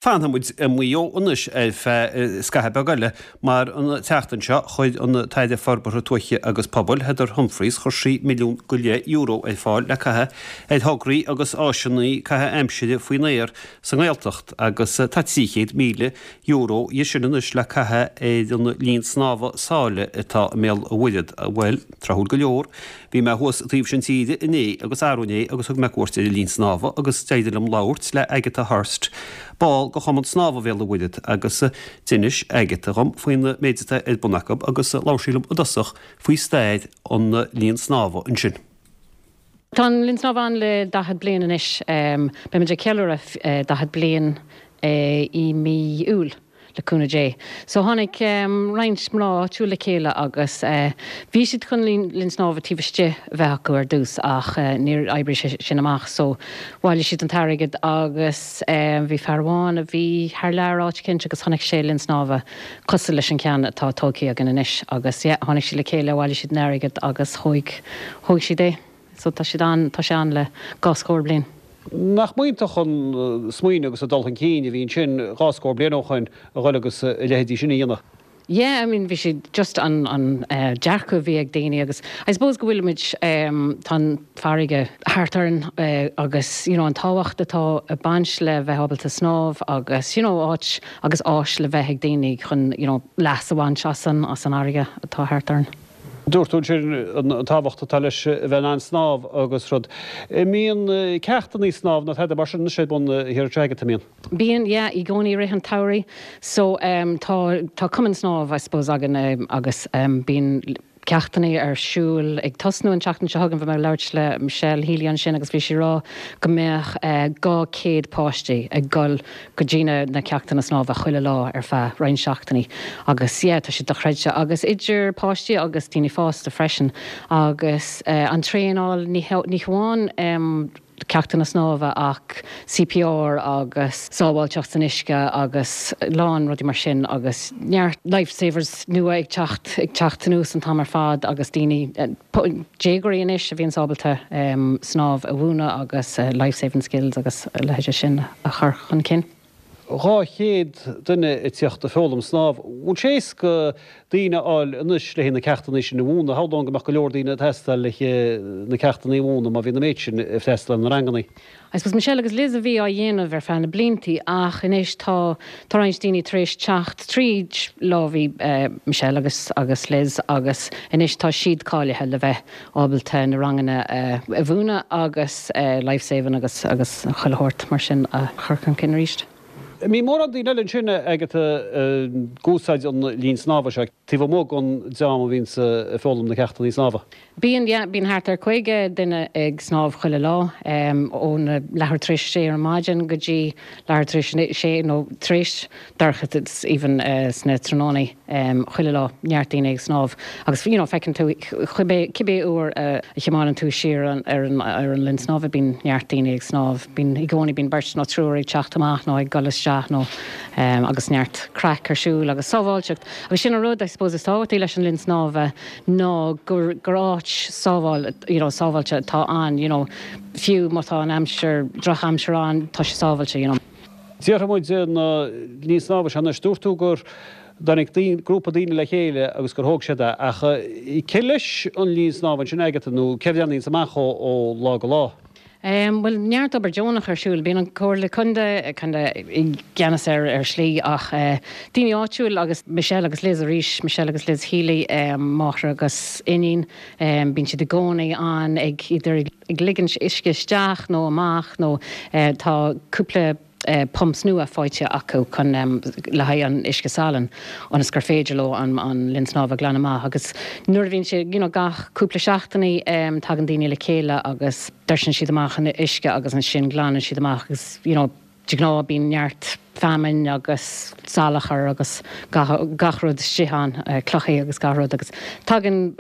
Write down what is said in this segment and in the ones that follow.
Fanfaidh muid i Maigh Eo anois ar feadh scaitheamh beag eile mar an tseachtain seo chuir an tAire Forbartha Tuaithe agus Pobail, Heather Humphreys, chuir sí €1.5 milliún ar fáil le caitheamh ar thograí agus áiseanna caitheamh aimsire faoin aer sa nGaeltacht agus tá €300,000 dhe sin anois le caitheamh ar an linn snámha sáile atá i mBéal an Mhuirthead. Bhuel, tráthúil go leor, Bhí mé thuas taobh sin tíre inné agus arú inné agus thug mé cuairt ar an linn snámha agus d'éirigh liom labhairt le Agatha Hurst, ball de Chumann Snámha Bhéal an Mhuirthead agus d'inis Agatha dhom faoin méid atá ar bun acu agus labhair sí liom i dtosach faoi stair an linn snámha ansin. Tá an linn snámha ann le 40 bliain anois. Beimid ag ceiliúradh 40 bliain i mí Iúil. le cúnamh Dé. So tháinig roinnt mná áitiúil le chéile agus bhí siad chun linn snámha taobh istigh a bheith acu ar dtús ach níor oibrigh sé sin amach so bhailigh siad an t-airgead agus bhí fear amháin a bhí thar lear áit eicínt agus chonaic sé linn snámha cosúil leis an cheann atá tógtha againn anois agus yeah tháinig siad le chéile, bhailigh siad an airgead agus thóig thóig siad é. So tá siad ann, tá sé ann le dhá scór bliain. Nach iontach an smaoineamh agus an dul chun cinn a bhí ansin dhá scór bliain ó shoin a dhul agus a leithéidí sin a dhéanamh? Yeah, I mean bhí sé just an an dearcadh a bhí ag daoine agus I suppose go bhfuilimid tá an farraige thart orainn agus you know an tábhacht atá ag baint le bheith ábalta snámh agus you know áit agus áis le bheith ag daoine chun you know leas a bhaint as an as an fharraige atá thart orainn. Dúirt tú ansin an tábhacht atá leis a bheith in ann snámh agus rud. An mbíonn ceachtanna snámh nó tada mar sin anois ar bun thiar anseo agat, an mbíonn? Bíonn, yeah, i gcónaí i rith an tsamhraidh. So tá, tá cumann snámh I suppose againn agus bíonn ceachtanna ar siúl ag tosnú an tseachtain seo chugainn. Bhí mé ag labhairt le Michelle Healy ansin agus bhí sí ag rá go mbeadh 200 páistí ag dul go dtí na na ceachtanna snámha chuile lá ar feadh roinnt seachtainí agus yeah tá sé dochreidte agus idir páistí agus daoine fásta freisin agus an traenáil ní ní hamháin ceachtanna snámha ach CPR agus sábháilteacht san uisce agus a lán rudaí mar sin agus neart life savers nua ag teacht ag teacht anuas an t-am ar fad agus daoine déagóirí anois a bhíonns ábalta snámh a mhúineadh agus life saving skills agus a leithéide sin a chur chun cinn. 200 duine ag tíocht ag foghlaim snámh. Bhfuil sé éasca daoine a fháil anois le haghaidh na ceachtanna sin a mhúineadh? Shamhlóinn go mbeadh go leor daoine ag teastáil le haghaidh na ceachtanna a mhúineadh má bhíonn an méid sin ag freastal ar na ranganna. I suppose Michelle agus Liz a bhí á dhéanamh ar feadh na bliantaí ach anois tá tá roinnt daoine tar éis teacht tríd lámhaí Michelle agus agus Liz agus anois tá siad cáilithe le bheith ábalta na ranganna a mhúineadh agus life saving agus agus chuile shórt mar sin a chur chun cinn arís. An mbíonn mórán daoine eile ansin Agatha ag úsáid an linn snámha seo taobh amuigh den dream a bhíonns ag foghlaim na ceachtanna snámha? Bíonn, yeah, bíonn thart ar 50 duine ag snámh chuile lá, ón leathuair tar éis a sé ar maidin go dtí leathuair tar éis a sé nó tar éis dorchadas even sna tráthnónaí, chuile lá, neart daoine ag snámh agus you know feiceann tú cibé, cibé uair a thiomáineann tú siar ar an, ar an linn snámha bíonn neart daoine ag snámh, bíonn, i gcónaí bíonn beirt nó triúr ag teacht amach nó ag dul isteach nó agus neart craic ar siúl agus sábháilteacht agus sin an rud I suppose is tábhachtaí leis an linn snámha. ná gur gur áit sábháil you know sábháilte atá ann you know fiú má tá an aimsir drochaimsir ann tá sé sábháilte you know. Déarfaidh muid an linn snámha seo anois, dúirt tú gur dtáinig daoine, grúpa daoine le chéile agus gur thóg siad é ach cé leis an linn snámha ansin Agatha nó cé a bhreathnaíonns amach ó ó lá go lá? Bhuel, neart obair deonach ar siúl. Bíonn an Comhairle Contae kinda i gceannas air ar shlí ach daoine áitiúil agus Michelle agus Liz arís, Michelle agus Liz Healy, máthair agus iníon, bíonn siad i gcónaí ann ag idir ag ligint uisce isteach nó amach nó tá cúpla pumps nua faighte acu chun le haghaidh an uisce salainn ionas gur féidir leo an linn snámha a ghlanadh amach agus nuair a bhíonn sé you know gach cúpla seachtainí tagann daoine le chéile agus doirseann siad amach an uisce agus ansin glanann siad amach agus you know de ghnáth bíonn neart feamainn agus salachar agus gach gach rud istigh ann clochaí agus gach rud agus tagann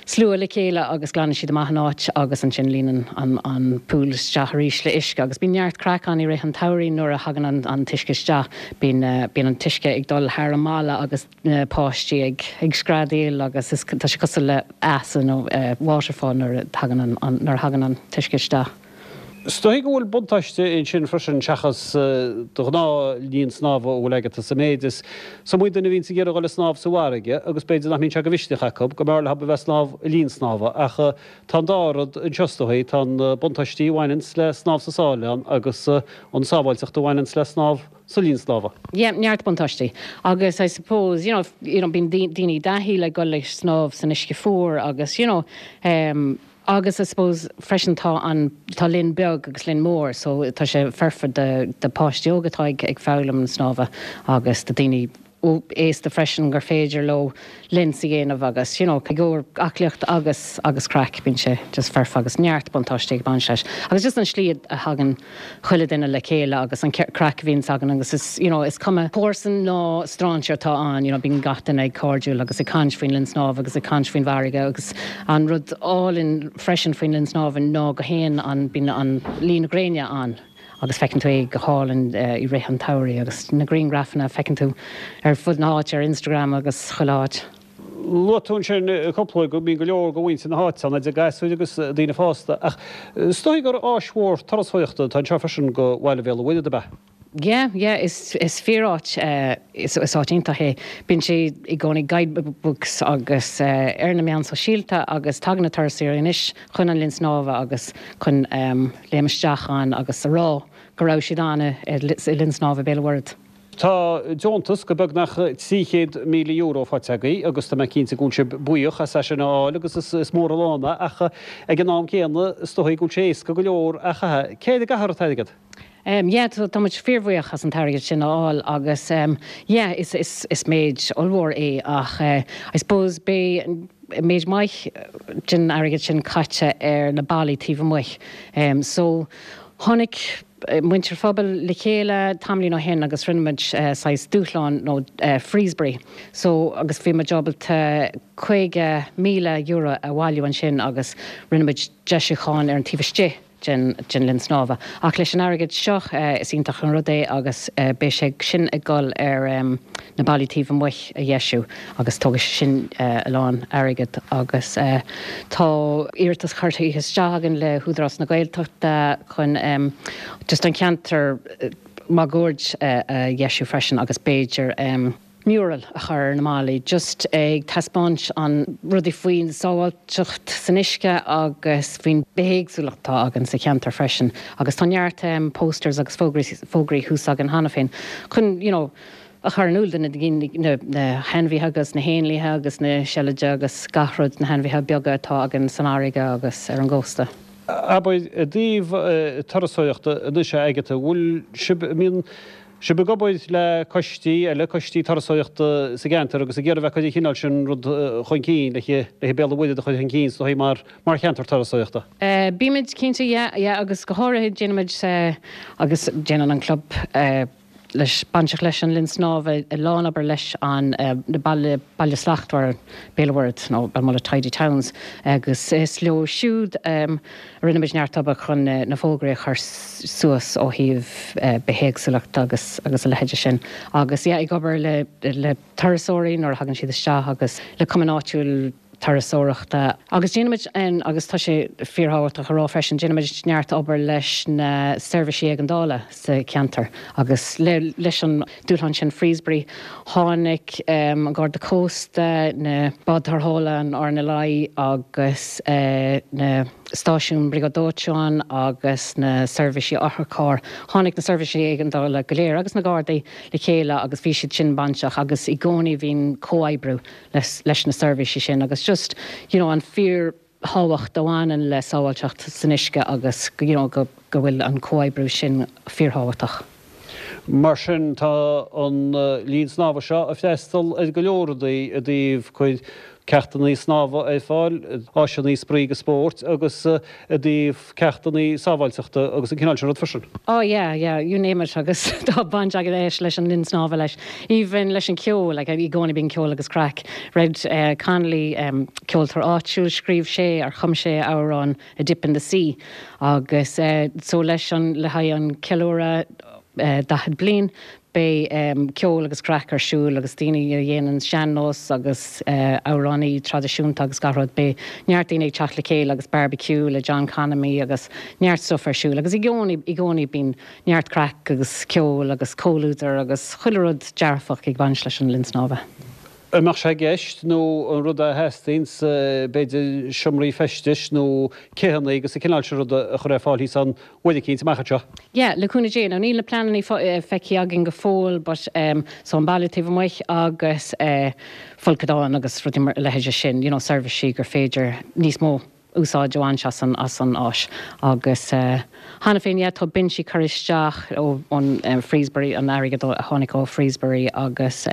slua le chéile agus glanann siad amach an áit agus ansin líonann an pool isteach arís le uisce agus bíonn neart craic ann i rith an tsamhraidh nuair a thagann an t-uisce isteach. Bíonn bíonn an t-uisce ag dul thar an mballa agus na páistí ag ag screadaíl agus is tá sé cosúil le eas nó waterfall nuair a thagann an nuair a thagann an t-uisce isteach. Is dóigh go bhfuil buntáiste ansin freisin seachas do ghnáth-linn snámha a bhfuil agat sa méid is is iomaí duine a bhíonns ag iarraidh dul ag snámh sa bhfarraige agus b'fhéidir nach mbíonn sé de mhisneach acu, go mb'fhearr leo a bheith ag snámh i linn snámha ach tá an dá rud anseo is dóigh, tá na buntáistí a bhaineanns le snámh sa sáile ann agus an sábháilteacht a bhaineanns le snámh sa linn snámha. Yeah, neart buntáistí. Agus I suppose, you know, you know, bíonn daoine i dtaithí le dul ag snámh san uisce fuar agus, you know, em, Agus I suppose freisin tá an, tá linn beag agus linn mór so tá sé foirfe do, do páistí óga atá ag, ag foghlaim an snámha agus do daoine aosta freisin gur féidir leo linn a dhéanamh agus you know i gcomhair aclaíocht agus, agus craic bíonn sé just foirfe agus neart buntáistí ag baint leis. Agus just an slí a thagann chuile duine le chéile agus an craic a bhíonns againn agus is you know is cuma comharsan nó stráinséir atá ann you know bíonn gach duine ag cairdiúil agus ag caint faoin linn snámha agus ag caint faoin bhfarraige agus an rud álainn freisin faoin linn snámha ná go théann an bíonn an luí na gréine ann agus feiceann tú é go hálainn i rith an tsamhraidh agus na grianghrafanna a feiceann tú ar fud na háite ar Instagram agus chuile áit. Luaigh tú ansin cúpla go mbíonn go leor de mhuintir na háite ann, idir gasúir agus daoine fásta, ach is dóigh gur áis mhór turasóireachta atá anseo freisin do bhaile Bhéal an Mhuirthead, ab ea? Yeah, yeah, is is fíor-áit, is is áit iontach é. Bíonn sé i gcónaí guidebooks agus ar na meáin sóisialta agus tagann na turasóirí anois chun an linn snámha agus chun léim isteach ann agus a rá go raibh siad ann i linn snámha Béal an Mhuirthead. Tá deontas de beagnach €300,000 faighte agaibh agus tá mé cinnte go bhfuil sibh buíoch as é sin a fháil agus is mór an lán é ach ag an am céanna is dóigh go bhfuil sé éasca go leor a chaitheamh. Cé air a gcaithfear an t-airgead? Yeah, tá muid fíorbhuíoch as an t-airgead sin a fháil agus yeah, is is méid ollmhór é ach I suppose beidh méid maith den airgead sin caite ar na ballaí taobh amuigh. So tháinig muintir phobail le chéile tamaillín ó shin agus rinne muid saghas dúshlán nó Freezebury so agus bhí muid ábalta €50,000 a bhailiú ansin agus rinne muid deisiúcháin ar an taobh istigh den den linn snámha. Ach leis an airgead seo is iontach an rud é agus beidh sé sin ag dul ar na ballaí taobh amuigh a dheisiú agus tógfaidh sé sin a lán airgead agus tá iarratas curtha isteach againn le hÚdarás na Gaeltachta chun just an ceantar máguaird a dheisiú freisin agus b'fhéidir mural a chur ar na ballaí just ag taispeáint an rudaí faoin sábháilteacht san uisce agus faoin bithéagsúlacht atá againn sa cheantar freisin agus tá neart posters agus fógraí thuas againn cheana féin chun you know a chur in iúl do na daoine, na hainmhithe agus na héanlaithe agus na seilide agus gach rud, na hainmhithe beaga atá againn san fharraige agus ar an gcósta. Abair, i dtaobh turasóireachta anois a Agatha, bhfuil sibh, an mbíonn sibh ag obair le coistí eile, coistí turasóireachta sa gceantar agus ag iarraidh bheith ag cur an chineál sin rud chun cinn, le le Béal an Mhuirthead a chur chun cinn is dóigh mar mar cheantar turasóireachta? Bímid cinnte, yeah, yeah agus go háirithe déanaimid agus déanann an club, leis, bainteach leis an linn snámha, a lán obair leis an na Baile, Baile Slachtmhar, Béal an Mhuirthead nó Belmullet Tidy Towns agus is leo siúd a rinne muid neart obair chun na fógraí a chur suas ó thaobh bithéagsúlacht agus agus a leithéide sin agus yeah ag obair le le turasóirí nuair a thagann siad isteach agus le cumann áitiúil turasóireachta. Agus déanaimid, agus tá sé fíorthábhachtach a rá freisin, déanaimid neart obair leis na seirbhísí éigeandála sa cheantar agus leis an dúshlán sin Freezebury. Tháinig an Garda Cósta, na báid tarrthála, an RNLI agus na stáisiún Briogáid Dóiteáin agus na seirbhísí otharchairr, tháinig na seirbhísí éigeandála go léir agus na Gardaí le chéile agus bhí siad sin bainteach agus i gcónaí bhíonn comhoibriú leis na seirbhísí sin agus just you know an fíor thábhacht a bhaineann le sábháilteacht san uisce agus you know go go bhfuil an comhoibriú sin fíorthábhachtach. Mar sin tá an linn snámha seo ag freastal ar go leor rudaí i dtaobh cur ceachtanna snámha ar fáil, áiseanna spraoi agus spóirt agus i dtaobh ceachtanna sábháilteachta agus an cineál sin rud freisin. Oh yeah, yeah, you name it agus tá baint aige leis leis an linn snámha leis, even leis an ceol, like i gcónaí bíonn ceol agus craic. Red Connolly, ceoltóir áitiúil, scríobh sé or chum sé amhrán A Dip in the Sea agus so leis an, le haghaidh an ceiliúradh. 40 bliain, beidh ceol agus craic ar siúl agus daoine a dhéanann sean-nós agus amhránaí traidisiúnta agus gach rud. Beidh neart daoine ag teacht le chéile agus barbecue le John Connolly agus neart stuff ar siúl agus i gcónaí, i gcónaí bíonn neart craic agus ceol agus comhluadar agus chuile rud dearfach ag baint leis an linn snámha. An mbeadh sé i gceist, nó an rud a theastaíonns, b'fhéidir seomraí feistis nó céanna agus an cineál sin ruda a chur ar fáil thíos ann uair eicínt amach anseo? Yeah, le cúnamh Dé. Now níl na pleananna feicthe againn go fóill but so an baile taobh amuigh agus folcadán agus rudaí mar a leithéide sin, you know seirbhísí gur féidir níos mó úsáid a bhaint as an as an áis agus cheana féin yeah tá binsí curtha isteach ó ón Freezbury an airgead a tháinig ó Freezbury agus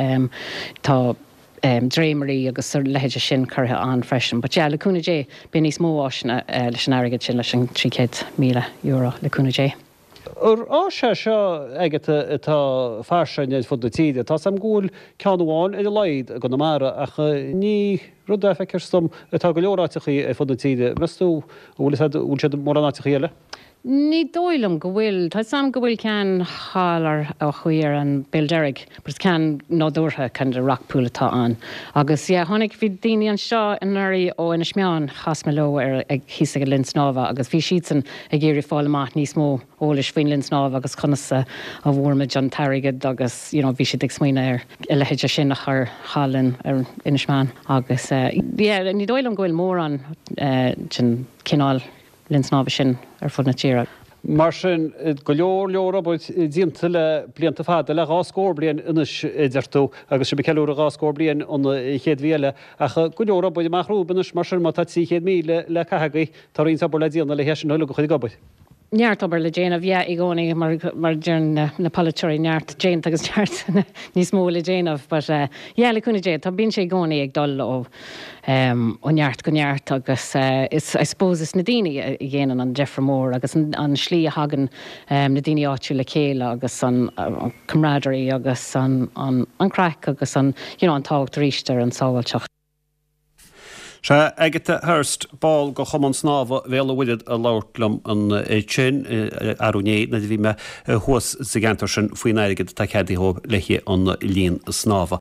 tá dréimirí agus a leithéide sin curtha ann freisin but yeah le cúnamh Dé beidh níos mó áiseanna leis an airgead sin leis an €300,000 le cúnamh Dé. Ar áis é seo Agatha atá fairsing ar fud na tíre? Tá 's a'm go bhfuil ceann amháin ar a laghad i gConamara ach ní rud é feictear dom atá go leor áiteachaí ar fud na tíre. Meas tú an bhfuil an bhfuil siad i mórán áiteachaí eile? Ní dóigh liom go bhfuil. Tá 's a'm go bhfuil ceann thall ar ó thuaidh ar an Béal Deirg but is ceann nádúrtha kind of rock pool atá ann. Agus yeah tháinig bhí daoine anseo anuraidh ó Inis Meáin chas mé leo ar ag thíos ag an linn snámha agus bhí siadsan ag iarraidh fáil amach níos mó eolais faoin linn snámha agus conas a bhfuair muid an t-airgead agus you know bhí siad ag smaoineamh ar a leithéid sin a chur thall in ar Inis Meáin agus yeah ní dóigh liom go bhfuil mórán den cineál linn snámha sin ar fud na tíre. Mar sin, go leor leor obair déanta le blianta fada, le dhá scór bliain anois a deir tú, agus sibh ag ceiliúradh dhá scór bliain an chéad mhí eile, ach go leor obair amach romhaibh anois, mar sin má tá 300,000 le caitheamh agaibh, tá roinnt obair le déanamh le hé sin uilig a chur ag obair. Neart obair le déanamh, yeah, i gcónaí, mar mar a deireann na polaiteoirí, neart déanta agus neart níos mó le déanamh, but yeah, le cúnamh Dé, tá, bíonn sé i gcónaí ag dul ó ó neart go neart agus is, I suppose, is na daoine a dhéanann an deifir mór agus an an slí a thagann na daoine áitiúil le chéile agus an camaraderie agus an an an craic agus an, you know, an tábhacht arís ar an sábháilteacht. Sea, Agatha Hurst, ball de Chumann Snámha Bhéal an Mhuirthead a labhairt liom ansin arú inné nuair a bhí mé thuas sa gceantar sin faoin airgead atá ceadaithe dhóibh le haghaidh an linn snámha.